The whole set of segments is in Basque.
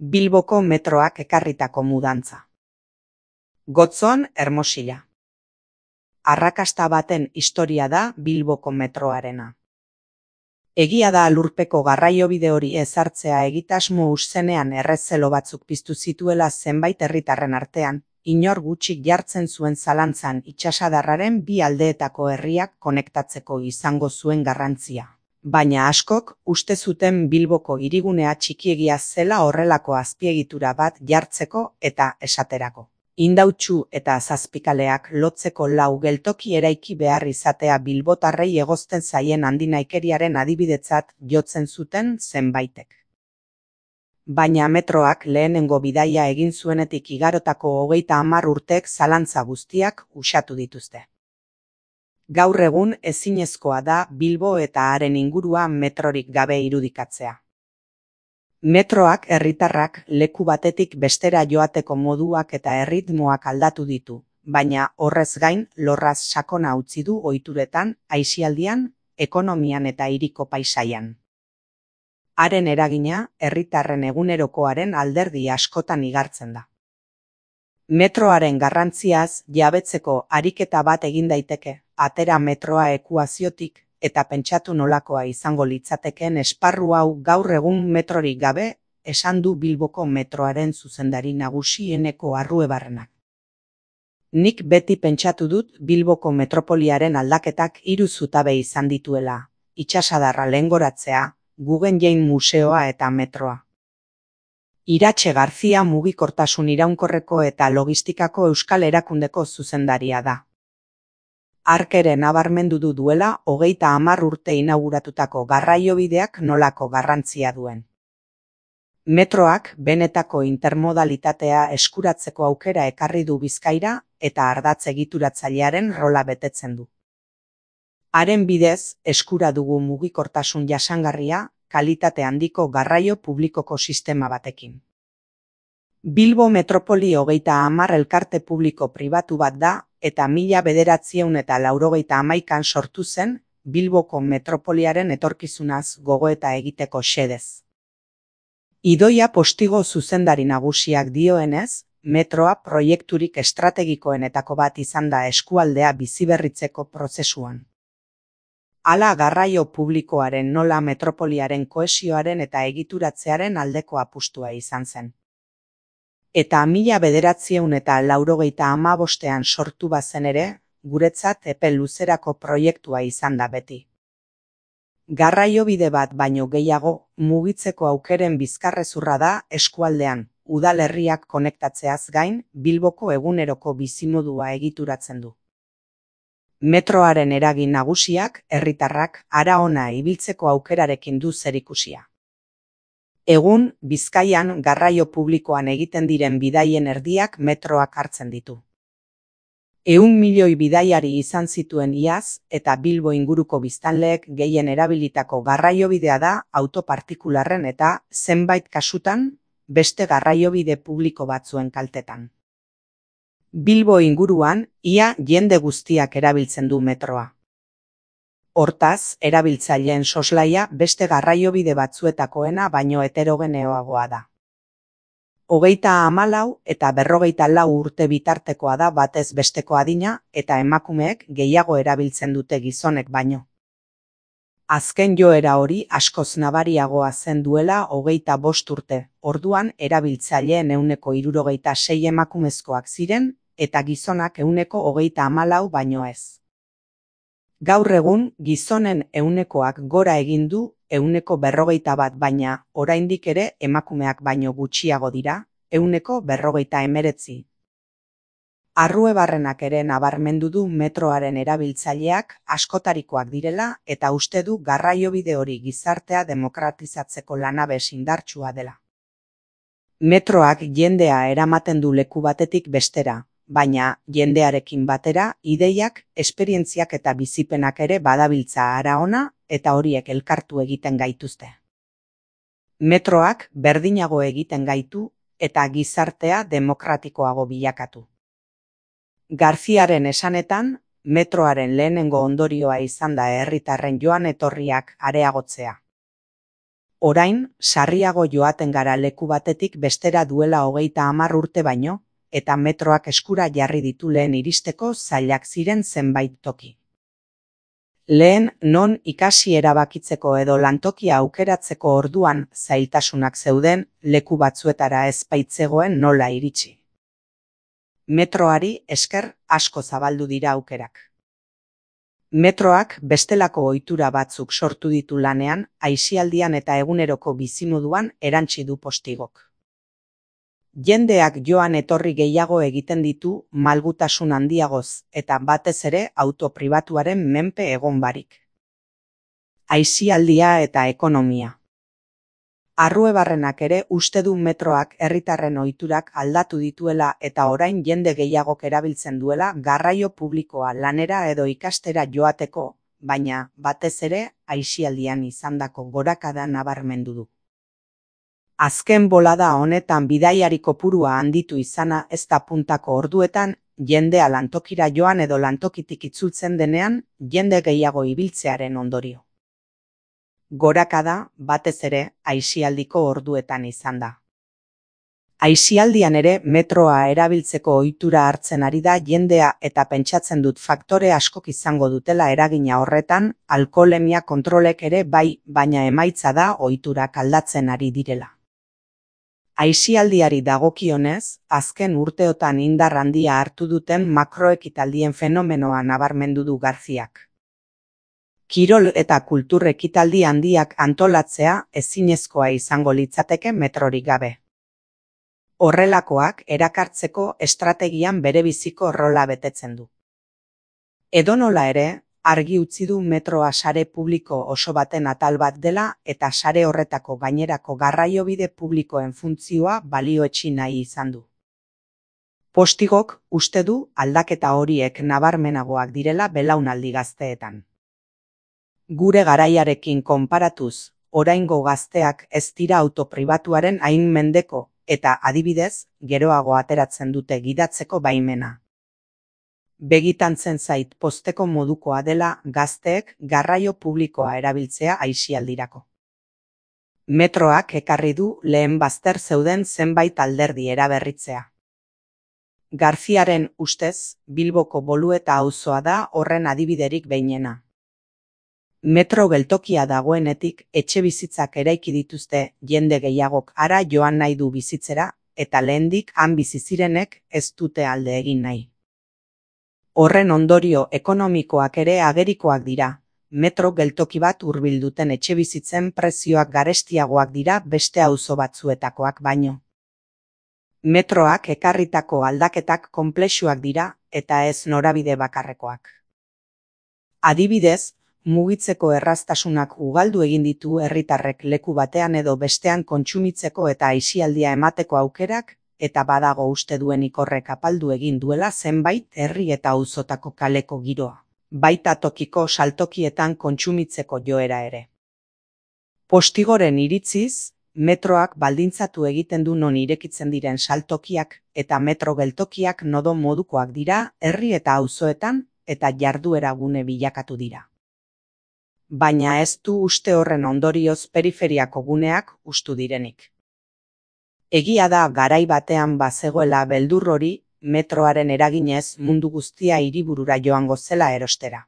Bilboko metroak ekarritako mudantza. Gotzon, Hermosilla. Arrakasta baten historia da Bilboko metroarena. Egia da lurpeko garraiobide hori ezartzea egitasmo zenean errezelo batzuk piztu zituela zenbait herritarren artean, inor gutxik jartzen zuen zalantzan itsasadarraren bi aldeetako herriak konektatzeko izango zuen garrantzia. Baina askok uste zuten Bilboko hirigunea txikiegia zela horrelako azpiegitura bat jartzeko eta esaterako. Indautxu eta zazpikaleak lotzeko 4 geltoki eraiki behar izatea bilbotarrei egozten zaien handinahikeriaren adibidetzat jotzen zuten zenbaitek. Baina metroak lehenengo bidaia egin zuenetik igarotako 30 urtek zalantza guztiak uxatu dituzte. Gaur egun ezinezkoa da Bilbo eta haren ingurua metrorik gabe irudikatzea. Metroak herritarrak leku batetik bestera joateko moduak eta erritmoak aldatu ditu, baina horrez gain lorraz sakona utzi du ohituretan, aisialdian, ekonomian eta hiriko paisaian. Haren eragina herritarren egunerokoaren alderdi askotan igartzen da. Metroaren garrantziaz jabetzeko ariketa bat egin daiteke, atera metroa ekuaziotik eta pentsatu nolakoa izango litzatekeen esparru hau gaur egun metrorik gabe, esan du Bilboko metroaren zuzendari nagusi Eneko Arruebarrenak. Nik beti pentsatu dut Bilboko metropoliaren aldaketak 3 zutabe izan dituela, itsasadarra lehengoratzea, Guggenheim museoa eta metroa. Iratxe Garzia mugikortasun iraunkorreko eta logistikako euskal erakundeko zuzendaria da. Hark ere nabarmendu du duela 30 urte inauguratutako garraiobideak nolako garrantzia duen. Metroak benetako intermodalitatea eskuratzeko aukera ekarri du Bizkaira eta ardatz egituratzailearen rola betetzen du. Haren bidez eskura dugu mugikortasun jasangarria, kalitate handiko garraio publikoko sistema batekin. Bilbo Metropoli 30 elkarte publiko pribatu bat da eta 1981an sortu zen Bilboko metropoliaren etorkizunaz gogoeta egiteko xedez. Idoia Postigo zuzendari nagusiak dioenez, metroa proiekturik estrategikoenetako bat izan da eskualdea biziberritzeko prozesuan. Hala garraio publikoaren nola metropoliaren kohesioaren eta egituratzearen aldeko apustua izan zen. Eta 1985an sortu bazen ere, guretzat epe luzerako proiektua izan da beti. Garraiobide bat baino gehiago mugitzeko aukeren bizkarrezurra da eskualdean, udalerriak konektatzeaz gain, Bilboko eguneroko bizimodua egituratzen du. Metroaren eragin nagusiak herritarrak hara ona ibiltzeko aukerarekin du zerikusia. Egun, Bizkaian garraio publikoan egiten diren bidaien erdiak metroak hartzen ditu. 100 milioi bidaiari izan zituen iaz eta Bilbo inguruko biztanleek gehien erabilitako garraiobidea da autopartikularren eta, zenbait kasutan, beste garraiobide publiko batzuen kaltetan. Bilbo inguruan, ia jende guztiak erabiltzen du metroa. Hortaz, erabiltzaileen soslaia beste garraiobide batzuetakoena baino heterogeneoagoa da. 34 eta 54 urte bitartekoa da batez besteko adina eta emakumeek gehiago erabiltzen dute gizonek baino. Azken joera hori askoz nabariagoa zen duela 25 urte, orduan erabiltzaileen 76 emakumezkoak ziren eta gizonak 34 baino ez. Gaur egun, gizonen 100koak gora egin du 141 baina oraindik ere emakumeak baino gutxiago dira, 159. Arruebarrenak ere nabarmendu du metroaren erabiltzaileak askotarikoak direla eta uste du garraiobide hori gizartea demokratizatzeko lanabes indartsua dela. Metroak jendea eramaten du leku batetik bestera, baina jendearekin batera ideiak, esperientziak eta bizipenak ere badabiltza hara ona eta horiek elkartu egiten gaituzte. Metroak berdinago egiten gaitu eta gizartea demokratikoago bilakatu. Garziaren esanetan, metroaren lehenengo ondorioa izan da herritarren joan etorriak areagotzea. Orain, sarriago joaten gara leku batetik bestera duela 30 urte baino, eta metroak eskura jarri ditu lehen iristeko zailak ziren zenbait toki. Lehen, non ikasi erabakitzeko edo lantokia aukeratzeko orduan zailtasunak zeuden, leku batzuetara ez baitzegoen nola iritsi. Metroari esker asko zabaldu dira aukerak. Metroak bestelako ohitura batzuk sortu ditu lanean, aisialdian eta eguneroko bizimoduan erantsi du Postigok. Jendeak joan etorri gehiago egiten ditu malgutasun handiagoz eta batez ere auto pribatuaren menpe egon barik. Aisialdia eta ekonomia. Arruebarrenak ere uste du metroak herritarren ohiturak aldatu dituela eta orain jende gehiagok erabiltzen duela garraio publikoa lanera edo ikastera joateko, baina batez ere aisialdian izandako gorakada nabarmendu du. Azken bolada honetan bidaiari kopurua handitu izana ez da puntako orduetan, jendea lantokira joan edo lantokitik itzultzen denean, jende gehiago ibiltzearen ondorio. Gorakada batez ere aisialdiko orduetan izan da. Aisialdian ere metroa erabiltzeko ohitura hartzen ari da jendea eta pentsatzen dut faktore askok izango dutela eragina horretan, alkoholemia kontrolek ere bai, baina emaitza da ohiturak aldatzen ari direla. Aisialdiari dagokionez, azken urteotan indar handia hartu duten makroekitaldien fenomenoa nabarmendu du Garziak. Kirol eta kultur ekitaldi handiak antolatzea ezinezkoa izango litzateke metrorik gabe. Horrelakoak erakartzeko estrategian berebiziko rola betetzen du. Edonola ere, argi utzi du metroa sare publiko oso baten atal bat dela eta sare horretako gainerako garraiobide publikoen funtzioa balioetsi nahi izan du. Postigok uste du aldaketa horiek nabarmenagoak direla belaunaldi gazteetan. Gure garaiarekin konparatuz, oraingo gazteak ez dira auto pribatuaren hain mendeko eta adibidez, geroago ateratzen dute gidatzeko baimena. Begitantzen zait pozteko modukoa dela gazteek garraio publikoa erabiltzea aisialdirako. Metroak ekarri du lehen bazter zeuden zenbait alderdi eraberritzea. Garziaren ustez, Bilboko Bolueta auzoa da horren adibiderik behinena. Metro geltokia dagoenetik etxebizitzak eraiki dituzte jende gehiagok hara joan nahi du bizitzera eta lehendik han bizi zirenek ez dute alde egin nahi. Horren ondorio ekonomikoak ere agerikoak dira, metro geltoki bat hurbil duten etxebizitzen prezioak garestiagoak dira beste auzo batzuetakoak baino. Metroak ekarritako aldaketak konplexuak dira eta ez norabide bakarrekoak. Adibidez, mugitzeko erraztasunak ugaldu egin ditu herritarrek leku batean edo bestean kontsumitzeko eta aisialdia emateko aukerak, eta badago uste duenik horrek apaldu egin duela zenbait herri eta auzotako kaleko giroa, baita tokiko saltokietan kontsumitzeko joera ere. Postigoren iritziz, metroak baldintzatu egiten du non irekitzen diren saltokiak eta metro geltokiak nodo modukoak dira herri eta auzoetan eta jarduera gune bilakatu dira. Baina ez du uste horren ondorioz periferiako guneak hustu direnik. Egia da garai batean bazegoela beldur hori, metroaren eraginez mundu guztia hiriburura joango zela erostera.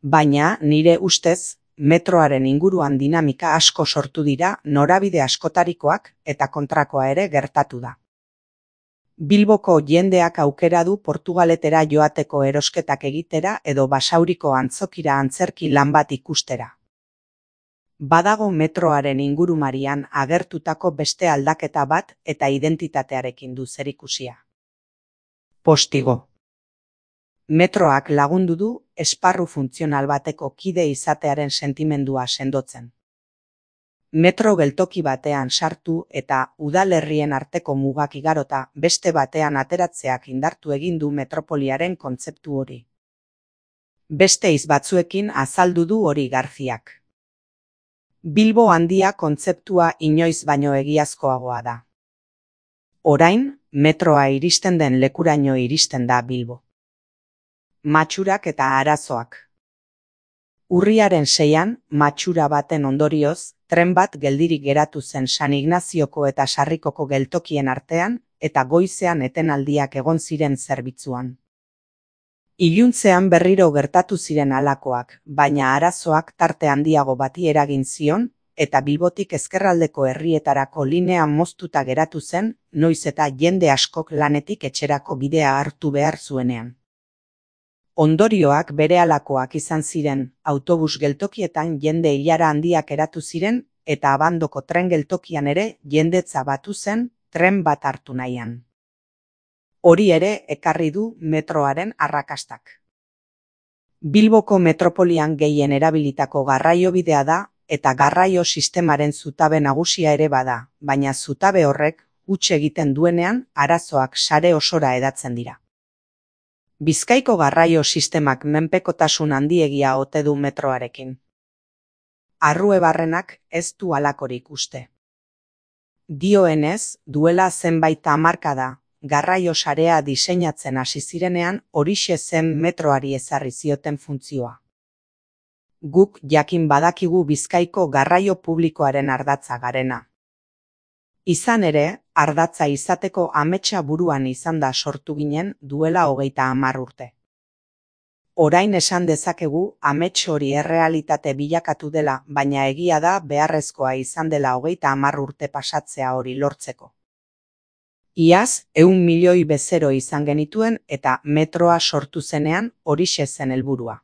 Baina nire ustez, metroaren inguruan dinamika asko sortu dira norabide askotarikoak eta kontrakoa ere gertatu da. Bilboko jendeak aukera du Portugaletera joateko erosketak egitera edo Basauriko antzokira antzerki lan bat ikustera. Badago metroaren ingurumarian agertutako beste aldaketa bat eta identitatearekin du zerikusia. Postigo. Metroak lagundu du esparru funtzional bateko kide izatearen sentimendua sendotzen. Metro geltoki batean sartu eta udalerrien arteko mugak igarota beste batean ateratzeak indartu egin du metropoliaren kontzeptu hori. Beste hitz batzuekin azaldu du hori Garziak. Bilbo handia kontzeptua inoiz baino egiazkoagoa da. Orain, metroa iristen den lekuraino iristen da Bilbo. Matxurak eta arazoak. Urriaren 6an, matxura baten ondorioz, tren bat geldirik geratu zen San Ignazioko eta Sarrikoko geltokien artean, eta goizean etenaldiak egon ziren zerbitzuan. Iluntzean berriro gertatu ziren halakoak, baina arazoak tarte handiago bati eragin zion, eta Bilbotik ezkerraldeko herrietarako linea moztuta geratu zen, noiz eta jende askok lanetik etxerako bidea hartu behar zuenean. Ondorioak berehalakoak izan ziren, autobus geltokietan jende ilara handiak eratu ziren, eta Abandoko tren geltokian ere jendetza batu zen tren bat hartu nahian. Hori ere ekarri du metroaren arrakastak. Bilboko metropolian gehien erabilitako garraiobidea da, eta garraio sistemaren zutabe nagusia ere bada, baina zutabe horrek huts egiten duenean arazoak sare osora hedatzen dira. Bizkaiko garraio sistemak menpekotasun handiegia ote du metroarekin. Arruebarrenak ez du halakorik uste. Dioenez, duela zenbait hamarkada, garraio sarea diseinatzen hasi zirenean horixe zen metroari ezarri zioten funtzioa. Guk jakin badakigu Bizkaiko garraio publikoaren ardatza garena. Izan ere, ardatza izateko ametsa buruan izan da sortu ginen duela 30 urte. Orain esan dezakegu amets hori errealitate bilakatu dela, baina egia da beharrezkoa izan dela 30 urte pasatzea hori lortzeko. Iaz, 100 milioi bezero izan genituen eta metroa sortu zenean horixe zen helburua.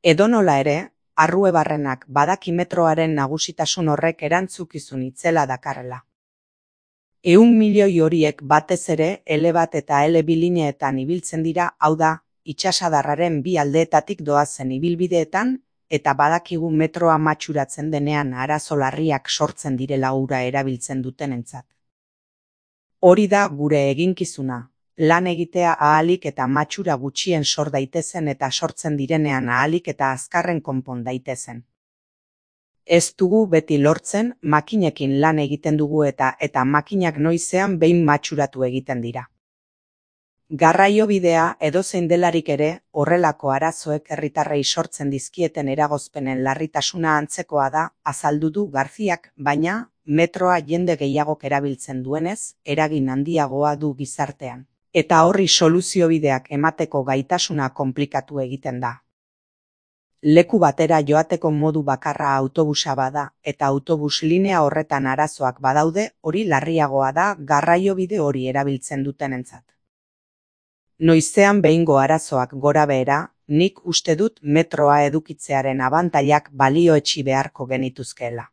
Edonola ere, Arruebarrenak badaki metroaren nagusitasun horrek erantzukizun itzela dakarrela. 100 milioi horiek batez ere L1 eta L2 lineetan ibiltzen dira, hau da, itsasadarraren bi aldeetatik doazen ibilbideetan, eta badakigu metroa matxuratzen denean arazo larriak sortzen direla ura erabiltzen dutenentzat. Hori da gure eginkizuna, lan egitea ahalik eta matxura gutxien sor daitezen eta sortzen direnean ahalik eta azkarren konpon daitezen. Ez dugu beti lortzen, makinekin lan egiten dugu eta makinak noizean behin matxuratu egiten dira. Garraiobidea edozein delarik ere, horrelako arazoek herritarrei sortzen dizkieten eragozpenen larritasuna antzekoa da, azaldu du Garziak, baina metroa jende gehiagok erabiltzen duenez, eragin handiagoa du gizartean. Eta horri soluziobideak emateko gaitasuna konplikatu egiten da. Leku batera joateko modu bakarra autobusa bada, eta autobus linea horretan arazoak badaude, hori larriagoa da garraiobide hori erabiltzen dutenentzat. Noizean behingo arazoak gora behera, nik uste dut metroa edukitzearen abantailak balioetsi beharko genituzkeela.